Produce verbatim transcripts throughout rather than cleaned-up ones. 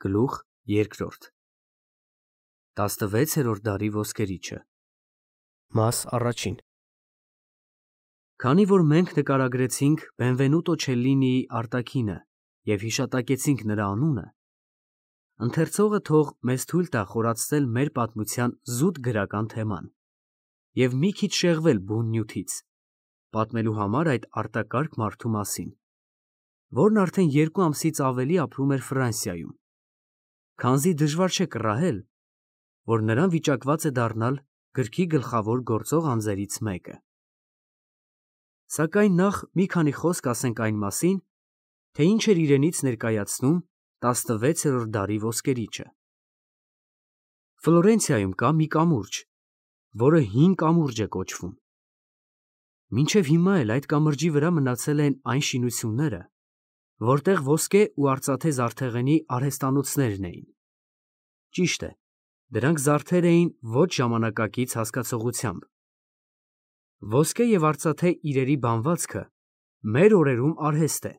Գլուխ երկրորդ տասնվեցերորդ դարի ոսկերիչը Մաս առաջին Քանի որ մենք նկարագրեցինք Բենվենուտո Չելլինիի արտաքինը և հիշատակեցինք նրա անունը, ընթերցողը թող մեզ թույլ տա խորացնել մեր պատմության զուտ գրական թեման և մի քիչ շեղվել բուն նյութից, պատմելու համար այդ արտակարգ մարդու մասին, որն արդեն երկու ամսից ավելի ապրում էր Ֆրանսիայում, քանզի դժվար չէ կռահել, որ նրան վիճակված է դառնալ գրքի գլխավոր գործող անձերից մեկը։ Սակայն նախ մի քանի խոսք ասենք այն մասին, թե ինչ էր իրենից ներկայացնում տասնվեցերորդ դարի ոսկերիչը։ Ֆլորենցիայում կա մի կամուրջ, որը հին կամուրջ է կոչվում։ Մինչև հիմա էլ այդ կամրջի վրա մնացել են այն շինությունները, որտեղ ոսկե ու արծաթե զարդեղենի արհեստանոցներն էին։ Ճիշտ է, դրանք զարդեր էին ոչ ժամանակակից հասկացողությամբ։ Ոսկե և արծաթե իրերի բանվածքը մեր օրերում արհեստ է,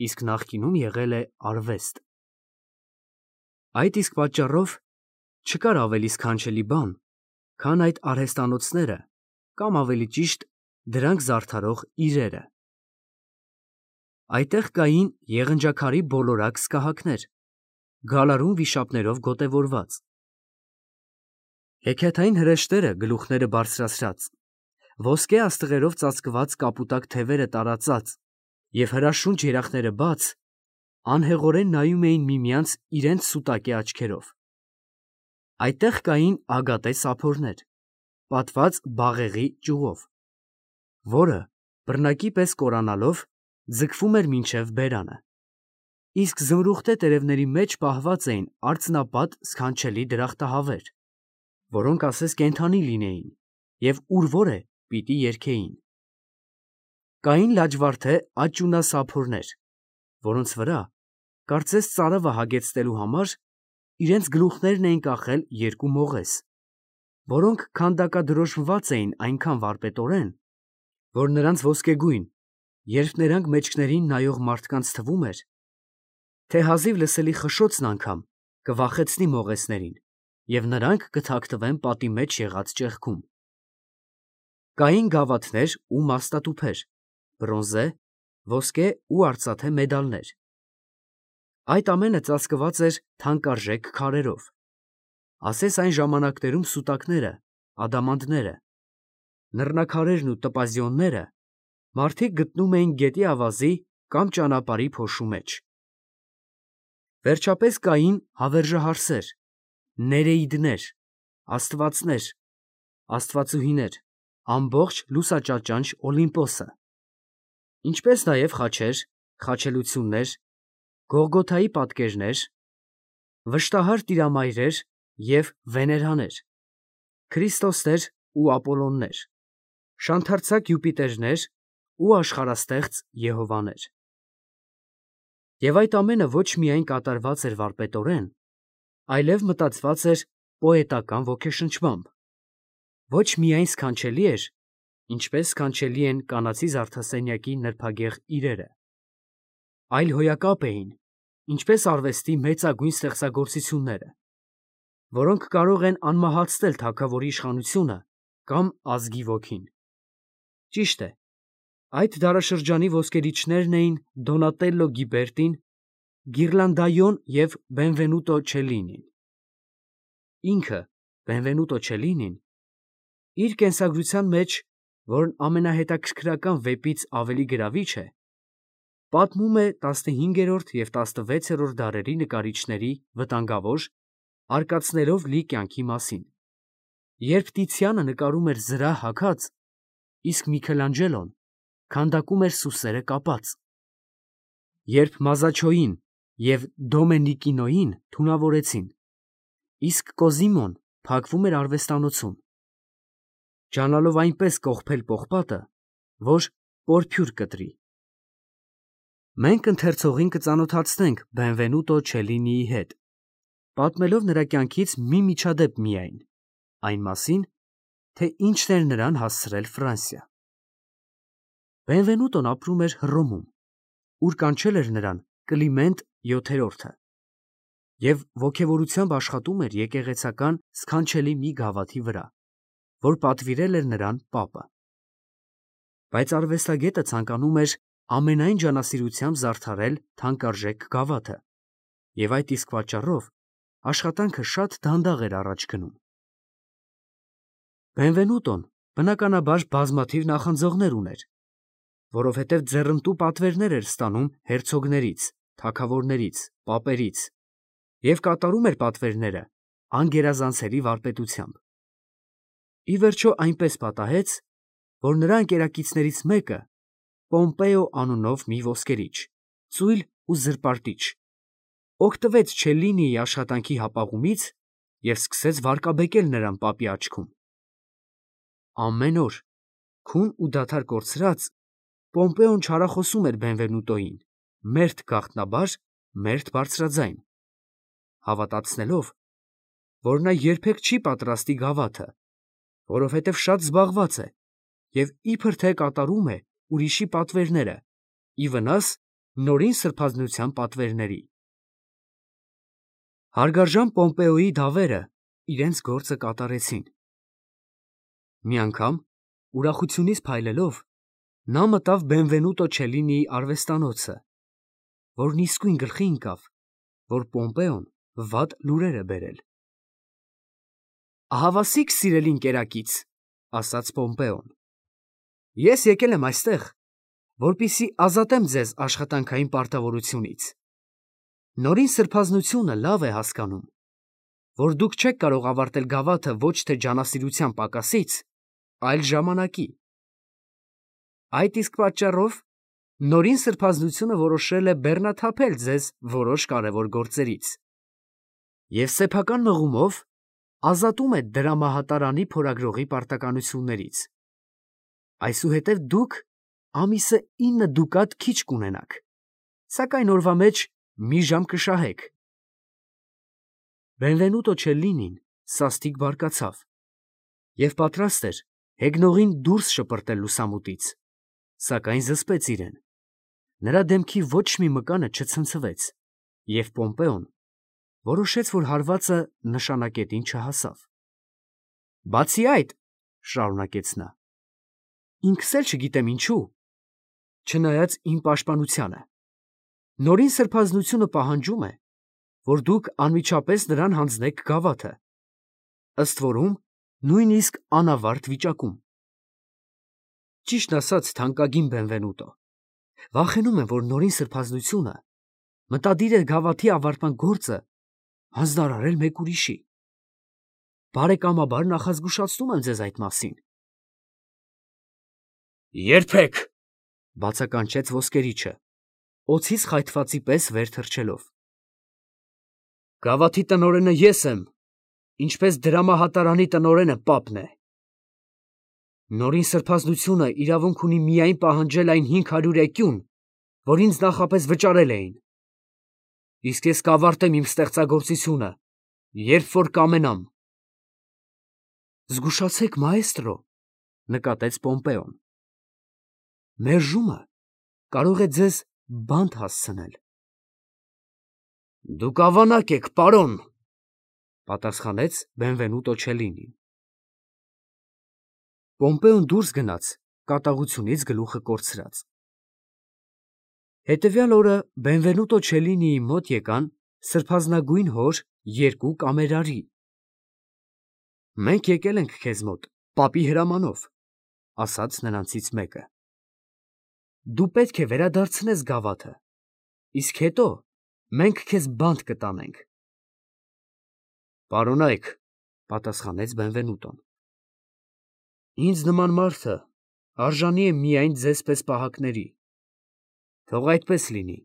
իսկ նախկինում եղել է արվեստ։ Այդ իսկ պատճառով չկար ավելի սքանչելի բան, քան այդ արհեստանոցները կամ ավելի ճիշտ դրանք զարդարող իրերը։ Այդտեղ կային եղնջաքարի բոլորակ սկահակներ, գալարուն վիշապներով գոտևորված, հեքիաթային հրեշտերը գլուխները բարձրացրած, ոսկե աստղերով ծածկված կապուտակ թևերը տարածած և հրաշունչ երախները բաց, անհեղորեն նայում էին միմյանց իրենց սուտակե աչքերով։ Այդտեղ կային ագատե սափորներ, պատված բաղեղի ճյուղով, որը, բռնակի պես կորանալով, ձգվում էր մինչև բերանը, իսկ զմրուխտե տերևների մեջ պահված էին արծնապատ սքանչելի դրախտահավեր, որոնք ասես կենդանի լինեին և ուր որ է պիտի երգեին։ Կային լաջվարդե աճյունասափորներ, որոնց վրա, կարծես ծարավը հագեցնելու համար, իրենց գլուխներն էին կախել երկու մողես, որոնք քանդակադրոշմված էին այնքան վարպետորեն, որ նրանց ոսկեգույն, երբ նրանք մեջքներին նայող մարդկանց թվում էր, թե հազիվ լսելի խշշոցն անգամ կվախեցնի մողեսներին, և նրանք կթաքնվեն պատի մեջ եղած ճեղքում։ Կային գավաթներ ու մաստատուփեր, բրոնզե, ոսկե ու արծաթե մեդալներ։ Այդ ամենը ծածկված էր թանկարժեք քարերով, ասես այն ժամանակներում սուտակները, ադամանդները, նռնակարերն ու տոպազիոնները մարդիկ գտնում էին գետի ավազի կամ ճանապարհի փոշու մեջ։ Վերջապես կային հավերժահարսեր, ներեիդներ, աստվածներ, աստվածուհիներ, ամբողջ լուսաճաճանճ Օլիմպոսը, ինչպես նաև խաչեր, խաչելություններ, Գողգոթայի պատկերներ, վշտահար տիրամայրեր և վեներաներ, Քրիստոսներ ու Ապոլոններ, շանթարցակ Յուպիտերներ ու աշխարհաստեղծ Եհովաներ։ Եվ այդ ամենը ոչ միայն կատարված էր վարպետորեն, այլև մտածված էր պոետական ոգեշնչմամբ, ոչ միայն սքանչելի էր, ինչպես սքանչելի են կանացի զարդասենյակի նրբագեղ իրերը, այլ հոյակապ էին, ինչպես արվեստի մեծագույն ստեղծագործությունները, որոնք կարող են անմահացնել թագավորի իշխանությունը կամ ազգի ոգին։ Ճիշտ է, այդ դարաշրջանի ոսկերիչներն էին Դոնատելլո Գիբերտին, Գիրլանդայոն և Բենվենուտո Չելլինին։ Ինքը՝ Բենվենուտո Չելլինին, իր կենսագրության մեջ, որն ամենահետաքրքրական վեպից ավելի գրավիչ է, պատմում է տասնհինգերորդ և տասնվեցերորդ դարերի նկարիչների վտանգավոր, արկածներով լի կյանքի մասին, երբ Տիցիանը նկարում էր զրահ հագած, իսկ Միքելանջելոն քանդակում էր սուսերը կապած, երբ Մազաչոյին և Դոմենիկինոյին թունավորեցին, իսկ Կոզիմոն փակվում էր արվեստանոցում, ջանալով այնպես կողպել պողպատը, որ պորփյուր կտրի։ Մենք ընթերցողին կծանոթացնենք Բենվենուտո Չելլինիի հետ, պատմելով նրա կյանքից մի միջադեպ միայն, այն մասին, թե ինչն էր նրան հասցրել Ֆրանսիա։ Բենվենուտոն ապրում էր Հռոմում, ուր կանչել էր նրան Կլիմենտ յոթերորդը։ և ոգևորությամբ աշխատում էր եկեղեցական սքանչելի մի գավաթի վրա, որ պատվիրել էր նրան պապը։ Բայց արվեստագետը ցանկանում էր ամենայն ջանասիրությամբ զարդարել թանկարժեք գավաթը, և այդ իսկ պատճառով աշխատանքը շատ դանդաղ էր առաջ գնում։ Բենվենուտոն բնականաբար բազմաթիվ նախանձողներ ուներ, որովհետև ձեռնտու պատվերներ էր ստանում հերցոգներից, թագավորներից, պապերից և կատարում էր պատվերները անգերազանցելի վարպետությամբ։ Ի վերջո այնպես պատահեց, որ նրա ընկերակիցներից մեկը, Պոմպեո անունով մի ոսկերիչ, ծույլ ու զրպարտիչ, օգտվեց Չելլինիի աշխատանքի հապաղումից և սկսեց վարկաբեկել նրան պապի աչքում։ Ամեն օր, քուն ու դադար կորցրած, Պոմպեոն չարախոսում էր Բենվենուտոյին, մերթ գաղտնաբար, մերթ բարձրաձայն, հավատացնելով, որ նա երբեք չի պատրաստի գավաթը, որովհետև շատ զբաղված է և իբր թե կատարում է ուրիշի պատվերները, ի վնաս նորին սրբազնության պատվերների։ Հարգարժան Պոմպեոյի դավերը իրենց գործը կատարեցին։ Մի անգամ, ուրախությունից փայլելով, նա մտավ Բենվենուտո Չելլինիի արվեստանոցը, որն իսկույն գլխի ընկավ, որ Պոմպեոն վատ լուրեր է բերել։ «Ահավասիկ սիրելի ընկերակից, ֊ ասաց Պոմպեոն, ֊ ես եկել եմ այստեղ, որպեսզի ազատեմ ձեզ աշխատանքային պարտավորությունից։ Նորին սրբազնությունը լավ է հասկանում, որ դուք չեք կարող ավարտել գավաթը ոչ թե ջանասիրության պակասից, այլ ժամանակի։ Այդ իսկ պատճառով նորին սրբազնությունը որոշել է բեռնաթափել ձեզ որոշ կարևոր գործերից և սեփական մղումով ազատում է դրամահատարանի փորագրողի պարտականություններից։ Այսուհետև դուք ամիսը ինը դուկատ քիչ կունենաք, սակայն օրվա մեջ մի ժամ կշահեք»։ Բենվենուտո Չելլինին սաստիկ բարկացավ և պատրաստ էր հեգնողին դուրս շպրտել լուսամուտից, սակայն զսպեց իրեն. նրա դեմքի ոչ մի մկանը չցնցվեց, և Պոմպեոն որոշեց, որ հարվածը նշանակետին չհասավ։ «Բացի այդ, ֊ շարունակեց նա, ֊ ինքս էլ չգիտեմ ինչու, չնայած իմ պաշտպանությանը, նորին սրբազնությունը պահանջում է, որ դուք անմիջապես նրան հանձնեք գավաթը, ըստ որում նույնիսկ անավարտ վիճակում։ Ճիշտն ասած, թանկագին Բենվենուտո, վախենում եմ, որ նորին սրբազնությունը մտադիր է գավաթի ավարտման գործը հանձնարարել մեկ ուրիշի։ Բարեկամաբար նախազգուշացնում եմ ձեզ այդ մասին»։ «Երբեք, ֊ բացականչեց ոսկերիչը, օձից խայթվածի պես վեր թռչելով, ֊ գավաթի տնօրենը ես եմ, ինչպես դրամահատարանի տնօրենը պապն է։ Նորին սրբազնությունը իրավունք ունի միայն պահանջել այն հինգ հարյուր էկյուն, որ ինձ նախապես վճարել էին, իսկ ես կավարտեմ իմ ստեղծագործությունը, երբ որ կամենամ»։ «Զգուշացեք, մաեստրո, ֊ նկատեց Պոմպեոն, ֊ մերժումը կարող է ձեզ բանտ հասցնել»։ «Դուք ավանակ եք, պարոն, ֊ պատասխանեց Բենվենուտո Չելլինին։ Պոմպեոն դուրս գնաց կատաղությունից գլուխը կորցրած։ Հետևյալ օրը Բենվենուտո Չելլինիի մոտ եկան սրբազնագույն հոր երկու կամերարի։ «Մենք եկել ենք քեզ մոտ պապի հրամանով, ֊ ասաց նրանցից մեկը, ֊ դու պետք է վերադարձնես գավաթը, իսկ հետո մենք քեզ բանտ կտանենք»։ «Պարոնայք, ֊ պատասխանեց Բենվենուտոն, ֊ ինձ նման մարդը արժանի է միայն ձեզ պես պահակների, թող այդպես լինի,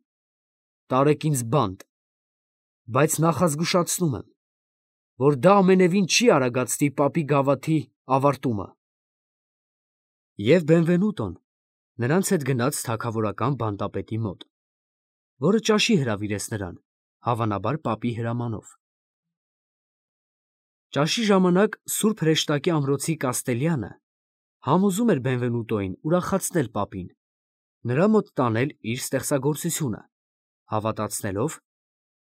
տարեք ինձ բանտ, բայց նախազգուշացնում եմ, որ դա ամենևին չի արագացնի պապի գավաթի ավարտումը»։ Եվ Բենվենուտոն նրանց հետ գնաց թագավորական բանտապետի մոտ, որը ճաշի հրավիրեց նրան, հավանաբար պապի հրամանով։ Ճաշի ժամանակ սուրբ հրեշտակի ամրոցի կաստելյանը համոզում էր Բենվենուտոյին ուրախացնել պապին, նրա մոտ տանել իր ստեղծագործությունը, հավատացնելով,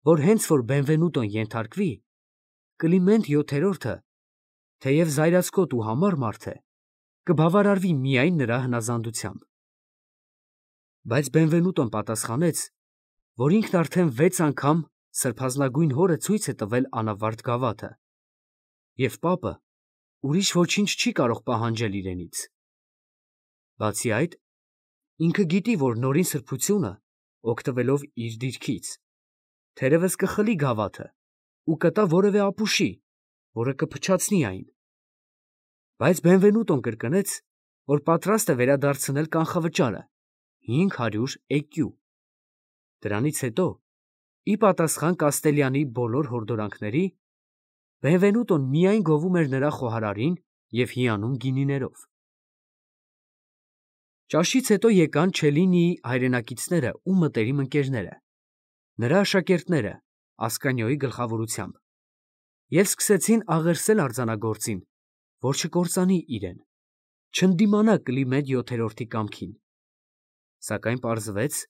որ հենց որ Բենվենուտոն ենթարկվի, Կլիմենտ յոթերորդը, թեև զայրացկոտ ու համառ մարդ է, կբավարարվի միայն նրա հնազանդությամբ։ Բայց Բենվենուտոն պատասխանեց, որ ինքն արդեն վեց անգամ սրբազնագույն հորը ցույց է տվել անավարտ գավաթը, և պապը ուրիշ ոչինչ չի կարող պահանջել իրենից։ Բացի այդ, ինքը գիտի, որ նորին սրբությունը, օգտվելով իր դիրքից, թերևս կխլի գավաթը ու կտա որևէ ապուշի, որը կփչացնի այն։ Բայց Բենվենուտոն կրկնեց, որ պատրաստ է վերադարձնել կանխավճարը, հինգ հարյուր էկյու։ Դրանից հետո, ի պատասխան Կաստելյանի բոլոր հորդորանքների, Բենվենուտոն միայն գովում էր նրա խոհարարին և հիանում գինիներով։ Ճաշից հետո եկան Չելլինիի հայրենակիցները ու մտերիմ ընկերները, նրա աշակերտները Ասկանիոյի գլխավորությամբ, և սկսեցին աղերսել արձանագործին, որ չկործանի իրեն, չընդդիմանա Կլիմենտ յոթերորդի կամքին։ Սակայն պարզվեց,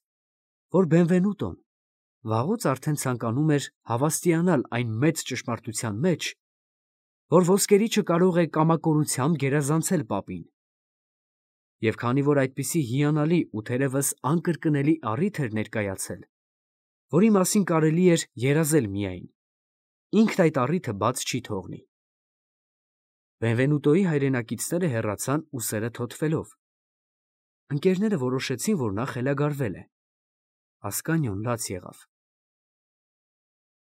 որ Բենվենուտոն վաղուց արդեն ցանկանում էր հավաստիանալ այն մեծ ճշմարտության մեջ, որ ոսկերիչը կարող է կամակորությամբ գերազանցել պապին։ Եվ քանի որ այդպիսի հիանալի ու թերևս անկրկնելի առիթ էր ներկայացել, որի մասին կարելի էր երազել միայն, ինքն այդ առիթը բաց չի թողնի։ Բենվենուտոյի հայրենակիցները հեռացան ուսերը թոթվելով։ Ընկերները որոշեցին, որ նա խելագարվել է։ Ասկանիոն լաց եղավ։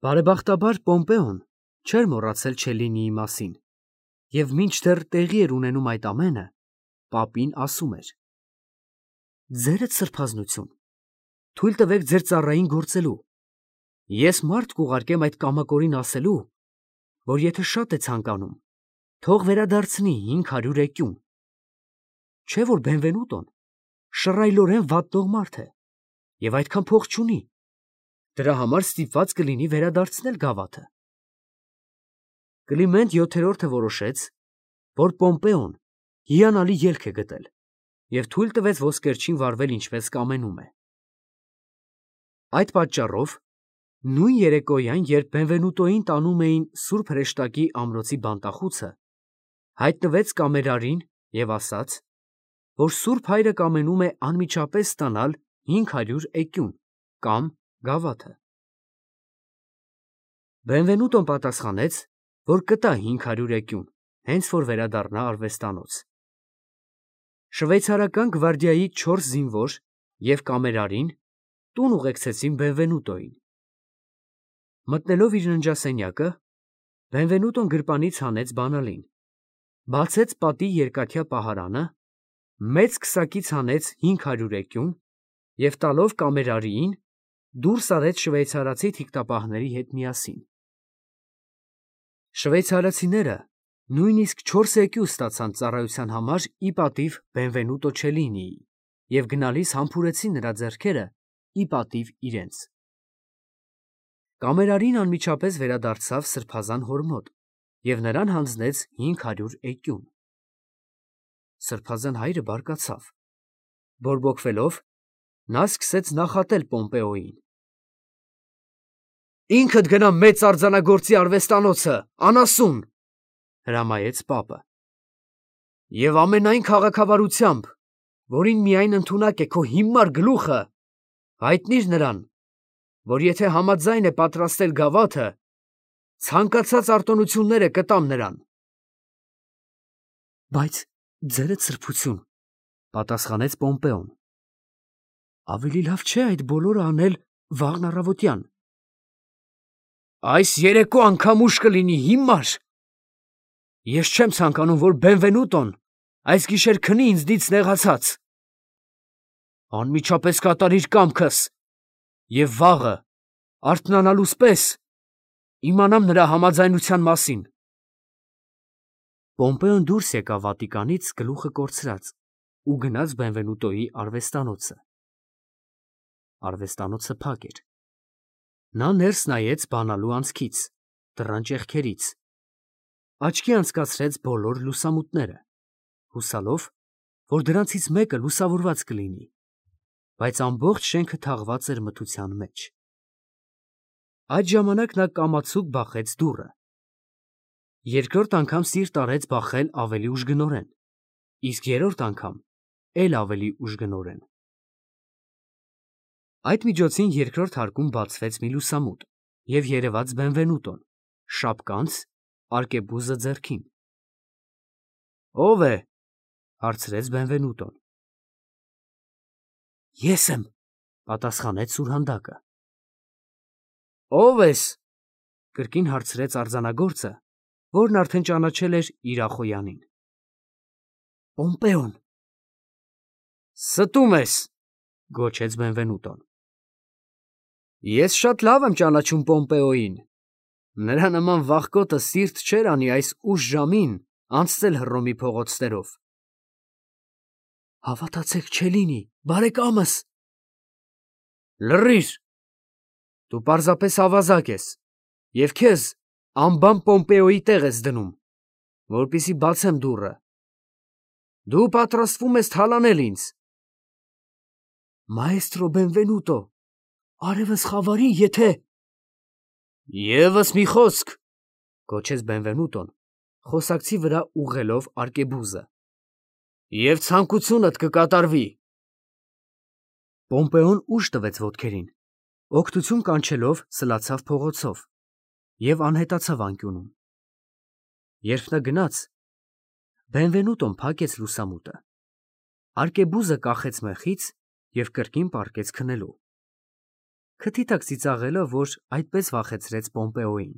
Բարեբախտաբար Պոմպեոն չէր մոռացել Չելլինիի մասին, և մինչդեռ տեղի էր ունենում այդ ամենը, պապին ասում էր. «Ձերդ սրբազնություն, թույլ տվեք ձեր ծառային գործելու։ Ես մարդ կուղարկեմ այդ կամակորին ասելու, որ եթե շատ է ցանկանում, թող վերադարձնի հինգ հարյուր էկյուն։ Չէ՞ որ Բենվենուտոն շռայլորեն վատնող մարդ է և այդքան փող չունի, դրա համար ստիպված կլինի վերադարձնել գավաթը»։ Կլիմենտ յոթերորդը որոշեց, որ Պոմպեոն հիանալի ելք է գտել և թույլ տվեց ոսկերչին վարվել ինչպես կամենում է։ Այդ պատճառով նույն երեկոյան, երբ Բենվենուտոյին տանում էին սուրբ հրեշտակի ամրոցի բանտախուցը, հայտնվեց կամերարին և ասաց, որ սուրբ հայրը կամենում է անմիջապես ստանալ հինգ հարյուր էկյուն կամ գավաթը։ Բենվենուտոն պատասխանեց, որ կտա հինգ հարյուր էկյուն, հենց որ վերադառնա արվեստանոց։ Շվեյցարական գվարդիայի չորս զինվոր և կամերարին տուն ուղեկցեցին Բենվենուտոյին։ Մտնելով իր ննջասենյակը, Բենվենուտոն գրպանից հանեց բանալին, բացեց պատի երկաթյա պահարանը, մեծ քսակից հանեց հինգ հարյուր էկյուն և տալով կամերարիին, դուրս արեց շվեյցարացի թիկտապահների հետ միասին։ Շվեյցարացիները նույնիսկ չորս էկյու ստացան ծառայության համար ի պատիվ Բենվենուտո Չելլինիի և գնալիս համբուրեցին նրա ձեռքերը ի պատիվ իրենց։ Կամերարին անմիջապես վերադարձավ սրբազան հոր մոտ և նրան հանձնեց հինգ հարյուր էկյուն։ Սրբազան հայրը բարկացավ։ Բորբոքվելով, նա սկսեց նախատել Պոմպեոյին. «Ինքդ գնա մեծ արձանագործի արվեստանոցը, անասուն», հրամայեց պապը, «և ամենայն քաղաքավարությամբ, որին միայն ընդունակ է քո հիմար գլուխը, հայտնիր նրան, որ եթե համաձայն է պատրաստել գավաթը, ցանկացած արտոնությունները կտամ նրան»։ «Բայց ձերդ սրբություն, ֊ պատասխանեց Պոմպեոն, ֊ ավելի լավ չէ՞ այդ բոլորը անել վաղն առավոտյան։ Այս երեկո անգամ ուշ կլինի, հիմար։ Ես չեմ ցանկանում, որ Բենվենուտոն այս գիշեր քնի ինձնից նեղացած։ Անմիջապես կատարիր կամքս, և վաղը, արթնանալուս պես, իմանամ նրա համաձայնության մասին։ Պոմպեոն դուրս եկավ վատիկանից գլուխը կորցրած ու գնաց Բենվենուտոյի արվեստանոցը։ Արվեստանոցը փակ էր։ Նա ներս նայեց բանալու անցքից, դռան ճեղքերից, աչքի անցկացրեց բոլոր լուսամուտները, հուսալով, որ դրանցից մեկը լուսավորված կլինի, բայց ամբողջ շենքը թաղված էր մթության մեջ։ Այդ ժամանակ նա կամացուկ բախեց դուռը։ Երկրորդ անգամ սիրտ արեց բախել ավելի ուժգնորեն, իսկ երրորդ անգամ էլ ավելի ուժգնորեն։ Այդ միջոցին երկրորդ հարկում բացվեց մի լուսամուտ և երևաց Բենվենուտոն, շապկանց, արկեբուզը ձեռքին։ «Ո՞վ է» հարցրեց Բենվենուտոն։ «Ես եմ», պատասխանեց սուրհանդակը։ «Ո՞վ ես» կրկին հարցրեց արձանագործը, որն արդեն ճանաչել էր իր Ախոյանին։ «Պոմպեոն»։ «Ստում ես», գոչեց Բենվենուտոն։ «Ես շատ լավ եմ ճանաչում Պոմպեոյին. նրա նման վախկոտը սիրտ չէր անի այս ուշ ժամին անցնել Հռոմի փողոցներով»։ «Հավատացեք չէ լինի, բարեկամս»։ «Լռիր, դու պարզապես ավազակ ես և քեզ անբան Պոմպեոյի տեղ ես դնում, որպեսզի բացեմ դուռը։ Դու պատրաստվում ես թալանել ինձ»։ «Մաեստրո Բենվենուտո, արևս խավարի, եթե…» «ԵՒս մի խոսք», գոչեց Բենվենուտոն, խոսակցի վրա ուղղելով արկեբուզը, «և ցանկությունդ կկատարվի»։ Պոմպեոն ուժ տվեց ոտքերին, օգնություն կանչելով սլացավ փողոցով և անհետացավ անկյունում։ Երբ նա գնաց, Բենվենուտոն փակեց լուսամուտը, արկեբուզը կախեց մեխից և կրկին պառկեց քնելու, քթի տակ ծիծաղելով, որ այդպես վախեցրեց Պոմպեոյին։